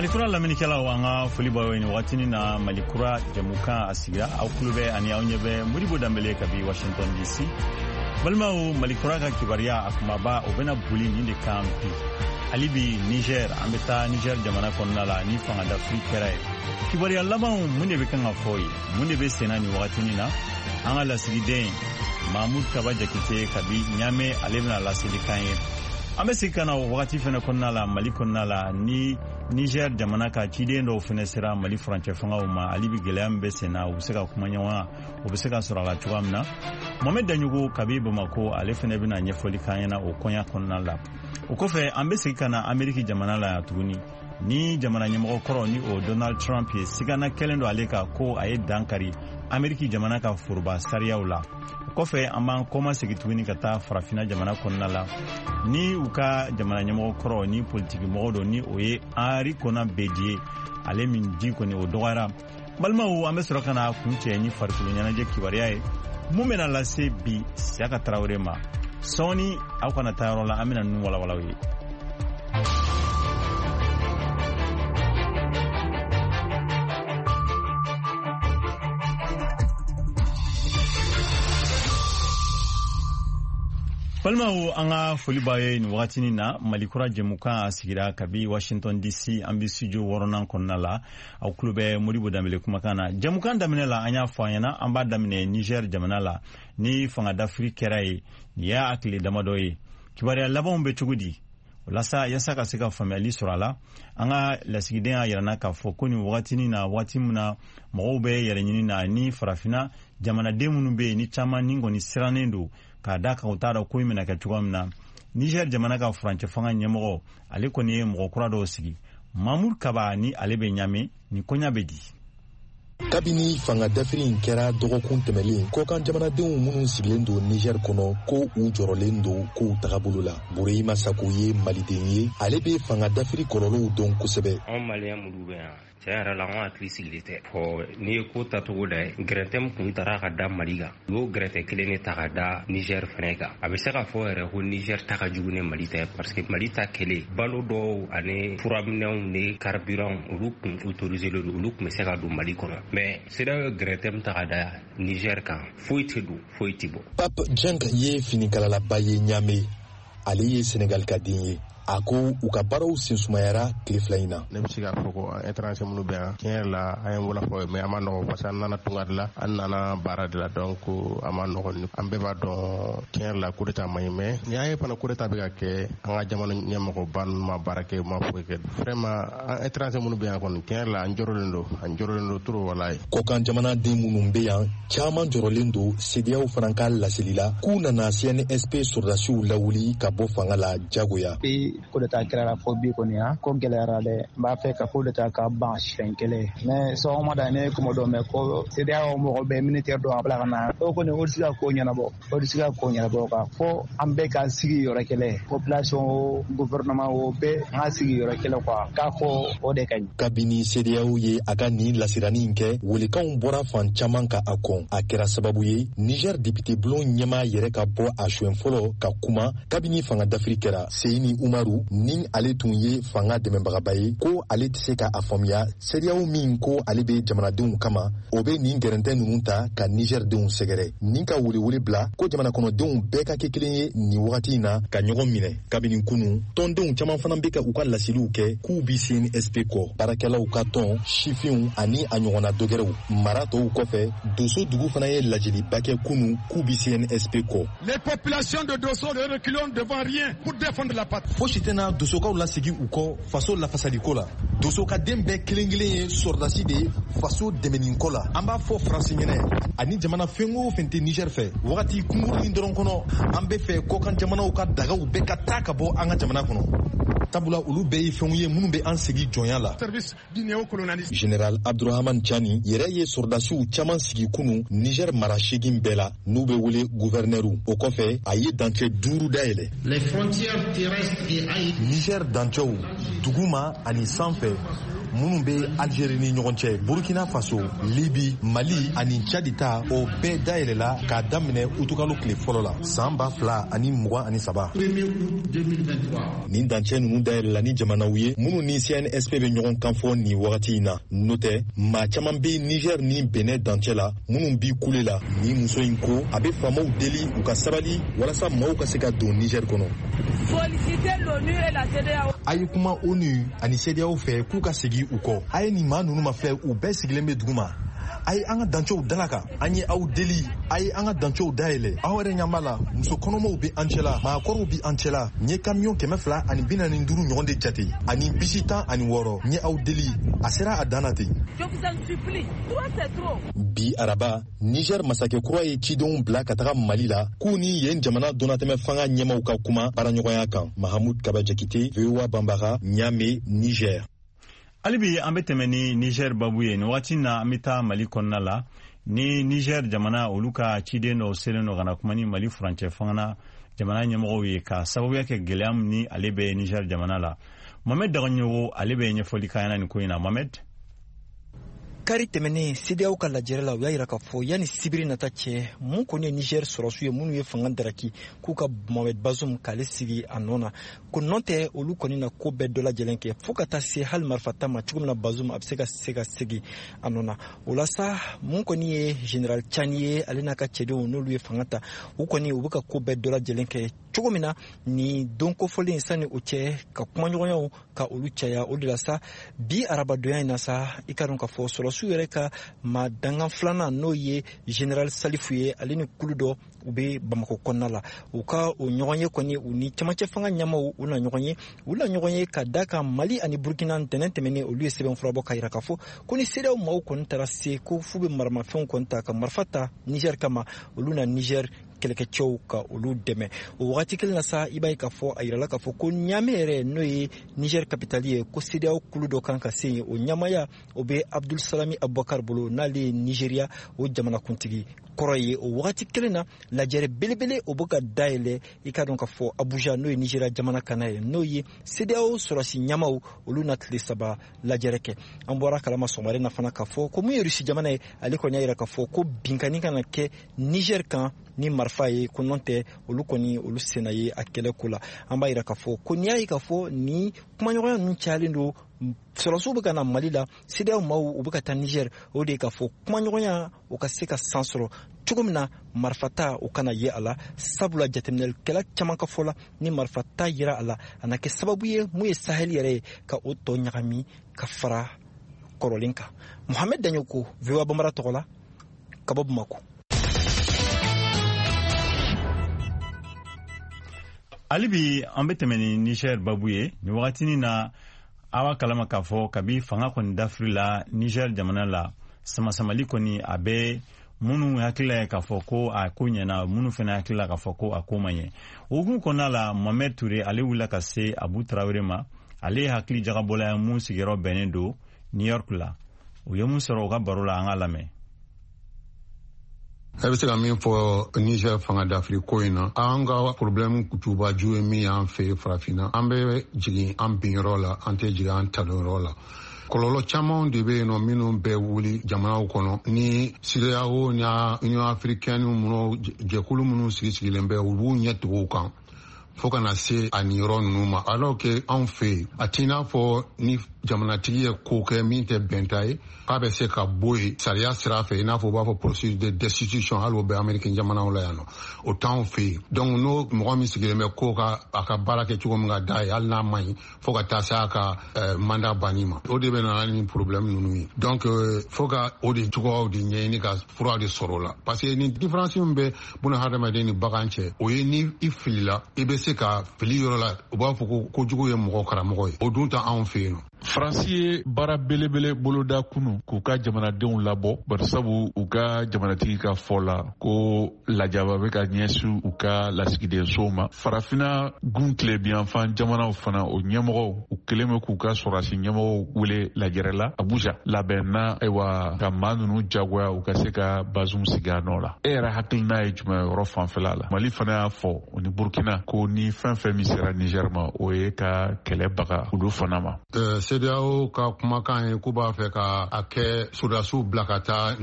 Malikura lamɛnnikɛlaw, an ka foli b'aw ye nin wagatinin na. Malikura jɛmukan a sigira, aw tulo bɛ ani aw ɲɛ bɛ Modibo Danbele kabi Washington DC. Balimaw, Malikura ka kibaruya a kumaba, o bɛna boli nin de kan bi. Hali bi Niger, an bɛ taa Niger jamana kɔnɔna la ni fanga dafiri kɛra ye. Kibaruya labanw, mun de bɛ kan ka fɔ ye? Mun de bɛ senna nin wagatinin na? An ka lasigiden Mahmud Kaba Jakite kabi Ɲame, ale bɛna laseli kan ye. An bɛ segin ka na o wagati fɛnɛ kɔnɔna la, Mali kɔnɔna la, ni Niger jamana ka ciden dɔw fɛnɛ sera Mali furancɛ fangaw ma. Hali bi gɛlɛya min bɛ sen na, u bɛ se ka kuma ɲɔgɔnya, o bɛ se ka sɔrɔ a la cogoya min na. Mohamed Daɲogo kabi Bamako, ale fɛnɛ bɛna ɲɛfɔli k'an ɲɛna o koɲa kɔnɔna la. O kɔfɛ, an bɛ segin ka na Ameriki jamana la yan tuguni, ni jamana ɲɛmɔgɔ kɔrɔ, ni o Donald Trump ye. Sigana kɛlen don ale kan ko a ye dan kari Ameriki jamana ka foroba sariyaw la. O kɔfɛ, an b'an kɔma segin tuguni ka taa Farafina jamana kɔnɔna la, ni u ka jamana ɲɛmɔgɔ kɔrɔ, ni politiki mɔgɔ don, ni o ye Henri Konan Bédié, ale min di kɔni o dɔgɔyara. Balimaw, an bɛ sɔrɔ ka na kun cɛ ni farikolo ɲɛnajɛ kibaruya ye, mun bɛna lase bi Siyaka Tarawele ma sɔɔni. Aw kana taa yɔrɔ la, an bɛna ninnu walawalaw ye. Balimaw, an ka foli b'a ye nin wagatinin na. Malikura jɛmukan a sigira kabi Washington DC, an bɛ studio wɔɔrɔnan kɔnɔna la. Aw tulo bɛ Modibo Danbele kumakan na. Jɛmukan daminɛ la, an y'a fɔ an ɲɛna, an b'a daminɛ Niger jamana la, ni fanga dafiri kɛra ye nin y'a tile damadɔ ye. Kibaruya labanw bɛ cogo di? Walasa yasa ka se ka faamuyali sɔrɔ a la, an ka lasigiden y'a yirana k'a fɔ ko nin wagatinin na, waati min na mɔgɔw bɛ yɛrɛ ɲini na, ni Farafina jamanaden minnu bɛ yen, ni caman ni kɔni sirannen don k'a da kan, u t'a dɔn ko in bɛna kɛ cogoya min na. Niger jamana ka furancɛ fanga ɲɛmɔgɔ, ale kɔni ye mɔgɔ kura dɔw sigi. Mamoud Kaba, ni ale bɛ Ɲame, nin koɲa bɛ di? Kabini fanga dafiri in kɛra dɔgɔkun tɛmɛlen, kɔkan jamanadenw minnu sigilen don Niger kɔnɔ, ko u jɔrɔlen don kow tagabolo la. Bureyima Sako ye Maliden ye, ale bɛ fanga dafiri kɔlɔlɔw dɔn kosɛbɛ. Anw Maliyɛn minnu bɛ yan, tiɲɛ yɛrɛ la, anw hakili sigilen tɛ. Fɔ n'i ye ko tacogo da ye, gɛrɛntɛ min kun tara ka da Mali kan, u y'o gɛrɛntɛ kelen de ta ka da Niger fɛnɛ kan. A bɛ se ka fɔ yɛrɛ ko Niger ta ka jugu ni Mali ta ye, parce que Mali ta kelen, balo dɔw ani furaminɛnw ni carburant, olu kun autorisé don, olu kun bɛ se ka don Mali kɔnɔ. Mais CEDEAO ye gɛrɛntɛ min ta ka da Niger kan, foyi tɛ don, foyi tɛ bɔ. Pape Jenk ye finikalalaba ye Ɲame, ale ye Senegal ka den ye. A ko u ka baaraw sensumayara tile 2 in na. Ne bɛ se k'a fɔ ko étranger minnu bɛ yan, tiɲɛ yɛrɛ la, an ye wala fɔ, mais a ma nɔgɔ, parce que an nana tunga de la, an nana baara de la, donc a ma nɔgɔ. An bɛɛ b'a dɔn, tiɲɛ yɛrɛ la, coup d'état man ɲi, mais ni y'an ye fana, coup d'état bɛ ka kɛ, an ka jamana ɲɛmɔgɔba ninnu ma baara kɛ, u ma foyi kɛ. Vraiment, an étranger minnu bɛ yan kɔni, tiɲɛ yɛrɛ la, an jɔrɔlen don, an jɔrɔlen don trop, walayi. Kɔkan jamanaden minnu bɛ yan, caman jɔrɔlen don. CEDEAO fana ka laseli la, k'u nana CNSP sɔrɔdasiw lawuli ka bɔ fanga la jagoya. Bi coup d'état kɛra fɔ bi kɔni, yan ko gɛlɛyara dɛ. N b'a fɛ ka coup d'état ka ban siɲɛ kelen, mais sɔgɔmada ne ye kuma dɔ mɛn ko CEDEAO mɔgɔ bɛ militaire dɔ a bila ka na. O kɔni, o tɛ se ka ko ɲɛnabɔ, o tɛ se ka ko ɲɛnabɔ kan. Fo an bɛɛ ka sigi yɔrɔ kelen, population o, gouvernement o, bɛɛ an ka sigi yɔrɔ kelen quoi, k'a fɔ o de ka ɲi. Kabini CEDEAO ye a ka nin lasirani in kɛ, welekanw bɔra fan caman ka a kɔn. A kɛra sababu ye Niger député bulon ɲɛmaa yɛrɛ ka bɔ a siɲɛ fɔlɔ ka kuma kabini fanga dafiri kɛra. Seyini Umaru, ni ale tun ye fanga dɛmɛbagaba ye, ko ale tɛ se ka a faamuya, CEDEAO min ko ale bɛ jamanadenw kama, o bɛ nin gɛrɛntɛ ninnu ta ka Niger denw sɛgɛrɛ, ni ka welewele bila ko jamana kɔnɔdenw bɛɛ ka kɛ kelen ye nin wagati in na, ka ɲɔgɔn minɛ. Kabini kunu, tɔndenw caman fana bɛ ka u ka laseliw kɛ k'u bi CNSP kɔ, baarakɛlaw ka tɔn, sifinw ani a ɲɔgɔnna dɔgɛrɛw. Mara tɔw kɔfɛ, Doso dugu fana ye lajɛliba kɛ kunu k'u bi CNSP kɔ. Les populations de Dosso ne reculons devant rien pour défendre la patrie. Fosi tɛna Dosokaw lasegi u kɔ faso lafasaliko la. Doso ka den bɛɛ kelen kelen ye sɔrɔdasi de ye faso dɛmɛniko la. An b'a fɔ Faransi ɲɛnɛ ani jamana fɛn o fɛn tɛ Niger fɛ, wagati kunkurunin dɔrɔn kɔnɔ, an bɛ fɛ kɔkan jamanaw ka dagaw bɛɛ ka taa ka bɔ an ka jamana kɔnɔ, sabula olu bɛɛ ye fɛnw ye minnu bɛ an segi jɔnya la. Service du néocolonialisme. Général Abdurahman Chani yɛrɛ ye sɔrɔdasiw caman sigi kunu Niger mara 8 bɛɛ la, n'u bɛ wele guvɛrnɛriw. O kɔfɛ, a ye dancɛ 5 dayɛlɛ. Les frontières terrestres et aériennes. Niger dancɛw duguma ani sanfɛ, minnu bɛ Algérie ni ɲɔgɔn cɛ, Burkina Faso, Libi, Mali ani Tchad ta, o bɛɛ dayɛlɛla k'a daminɛ utukalo tile fɔlɔ la san 2023. Nin dancɛ ninnu dayɛlɛla ni jamanaw ye minnu ni CNSP bɛ ɲɔgɔn kan fɔ nin wagati in na. N'o tɛ, maa caman bɛ Niger ni Benin dancɛ la minnu bi kule la. Nin muso in ko a bɛ faamaw deli u ka sabali walasa maaw ka se ka don Niger kɔnɔ. A ye kuma ONU ani CEDEAO fɛ k'u ka segin u kɔ. A ye nin maa ninnu mafilɛ, u bɛɛ sigilen bɛ dugu ma. A ye an ka dancɛw dalaka, an ye aw deli, a ye an ka dancɛw dayɛlɛ. Aw yɛrɛ ɲɛ b'a la, muso kɔnɔmaw bɛ an cɛla, maakɔrɔw bɛ an cɛla. N ye kamiyɔn 245 ɲɔgɔn de jate ani bisi 16. N ye aw deli, a sera a dan na ten. Bi araba, Niger masakɛ kura ye cidenw bila ka taga Mali la k'u ni yen jamana donnatɛmɛ fanga ɲɛmaw ka kuma baaraɲɔgɔnya kan. Mahamud Kaba Jakite, VOA Banbara, Niamey, Niger. Hali bi an bɛ tɛmɛ ni Niger babu ye. Nin wagati na, an bɛ taa Mali kɔnɔna la ni Niger jamana, olu ka ciden dɔw selen dɔ ka na kuma ni Mali furancɛ fanga jamana ɲɛmɔgɔw ye, ka sababuya kɛ gɛlɛya min ni ale bɛ Niger jamana la. Mohamed Dagaɲogo, ale bɛ ɲɛfɔli k'an ɲɛna nin ko in na. Mohamed. Kari tɛmɛnen, CEDEAO ka lajɛrɛ la, u y'a yira k'a fɔ yanni sibiri nata cɛ, mun kɔni ye Niger sɔrɔsiw ye minnu ye fanga daraki, k'u ka Mohamed Bazoum k'ale sigi a nɔ na, ko nɔ tɛ, olu kɔni na ko bɛɛ dɔ lajɛlen kɛ, fɔɔ ka taa se hali marifata ma, cogo min na Bazoum a bɛ se ka segi a nɔ na. O la sa, mun kɔni ye Général Tiani ye, ale n'a ka cɛdenw, n'olu ye fanga ta, u kɔni u bɛ ka ko bɛɛ dɔ lajɛlen kɛ cogo min na nin don kofɔlen, sani o cɛ, ka kumaɲɔgɔnyaw ka olu caya. O de la sa, bi arabadonya in na sa, i ka dɔn k'a fɔ sɔrɔsiw yɛrɛ ka ma dangan filanan, n'o ye Général Salifu ye, ale ni kulu dɔ, u bɛ Bamako kɔnɔna la. U ka o ɲɔgɔn ye kɔni, u ni camancɛ fanga ɲɛmaw, u na ɲɔgɔn ye, u na ɲɔgɔn ye ka da kan Mali ani Burkina, ntɛnɛn tɛmɛnen, olu ye sɛbɛn fura bɔ ka yira k'a fɔ ko ni CEDEAO maaw kɔni taara se ko f'u bɛ maramafɛnw kɔni ta ka marifa ta Niger kama, olu na Niger kɛlɛkɛcɛw ka olu dɛmɛ. O wagati kelen na sa, i b'a ye k'a fɔ a yirala k'a fɔ ko Ɲame yɛrɛ, n'o ye Niger capitale ye, ko CEDEAO kulu dɔ kan ka se yen. O ɲamaya, o bɛ Abdul Salami Abubakar bolo, n'ale ye Nigeria o jamanakuntigi kɔrɔ ye. O wagati kelen na, lajɛrɛ belebele, o bɛ ka dayɛlɛ, i ka dɔn k'a fɔ Abuja, n'o ye Nigeria jamana kana ye, n'o ye CEDEAO sɔrɔsi ɲamaw, olu na tile 3 lajɛrɛ kɛ. An bɔra kalama sɔgɔmada na fana k'a fɔ ko mun ye Rusi jamana ye, ale kɔni y'a yira k'a fɔ ko binkani kana kɛ Niger kan ni marifa ye, ko nɔ tɛ, olu kɔni olu senna ye a kɛlɛ ko la. An b'a yira k'a fɔ ko n'i y'a ye k'a fɔ ni kumaɲɔgɔnya ninnu cayalen don, sɔrɔsiw bɛ ka na Mali la, CEDEAO maaw u bɛ ka taa Niger, o de ye k'a fɔ kumaɲɔgɔnya o ka se ka san sɔrɔ cogo min na, marifata o kana ye a la, sabula jateminɛlikɛla caman ka fɔ la, ni marifata yera a la, a na kɛ sababu ye mun ye Sahel yɛrɛ ye ka o tɔ ɲagami ka fara kɔrɔlen kan. Mohamed Daɲoko, VOA Bambara tɔgɔ la, ka bɔ Bamako. Hali bi an bɛ tɛmɛ ni Niger babu ye. Nin wagatinin na, a b'a kalama k'a fɔ kabi fanga kɔni dafiri la Niger jamana la, samasamali kɔni a bɛ minnu hakilila ye k'a fɔ ko a ko ɲɛna, minnu fana hakilila k'a fɔ ko a ko ma ɲɛ. O hukumu kɔnɔna la, Mohamed Ture, ale wulila ka se Abu Tarawele ma. Ale ye hakili jagabɔla ye mun sigiyɔrɔ bɛnnen don New York la. U ye mun sɔrɔ u ka baro la, an k'a lamɛn. E bɛ se ka min fɔ Niger fanga dafiri ko in na, an ka problème jubaju ye min y'an fɛ Farafinna, an bɛ jigin an binyɔrɔ la, an tɛ jigin an talonyɔrɔ la. Kɔlɔlɔ camanw de bɛ yen nɔ minnu bɛ wuli jamanaw kɔnɔ ni CEDEAO ni Union africaine minnu, jɛkulu minnu sigi sigilen bɛ, u b'u ɲɛ tugu u kan fo ka na se a nin yɔrɔ ninnu ma, alors que anw fɛ yen, a t'i n'a fɔ ni jamanatigi ye ko kɛ min tɛ bɛnta ye, k'a bɛ se ka bɔ yen sariya sira fɛ, i n'a fɔ u b'a fɔ procédure de destitution. Hali o bɛ Amérique jamanaw la yan nɔ, o t'anw fɛ yen. Donc n'o mɔgɔ min sigilen bɛ ko ka a ka baara kɛ cogo min ka d'a ye, hali n'a man ɲi, fo ka taa se a ka mandat banni ma, o de bɛ na ni problème ninnu ye. Donc fo ka o de cogoyaw de ɲɛɲini ka fura de sɔrɔ o la, parce que ni différence min bɛ buna hadamaden ni bagan cɛ, o ye ni i filila, i bɛ se ka fili yɔrɔ la, u b'a fɔ ko kojugu ye mɔgɔ karamɔgɔ ye. O dun tɛ anw fɛ yen nɔ. Faransi ye baara belebele boloda kunu k'u ka jamanadenw labɔ, barisabu u ka jamanatigi ka fɔ la ko lajaba bɛ ka ɲɛsin u ka lasigidensow ma. Farafina gun tilebiyanfan jamanaw fana, o ɲɛmɔgɔw, u kelen bɛ k'u ka sɔrɔdasi ɲɛmɔgɔw wele lajɛrɛ la Abuja labɛn na, ayiwa, ka maa ninnu jagoya u ka se ka Bazum sigi a nɔ la. E yɛrɛ hakilina ye jumɛn yɔrɔ fanfɛla la? Mali fana y'a fɔ o ni Burkina ko ni fɛn fɛn min sera Niger ma, o ye ka kɛlɛ baga olu fana ma. CEDEAO ka kumakan ye k'u b'a fɛ ka a kɛ sɔrɔdasiw bila ka taa.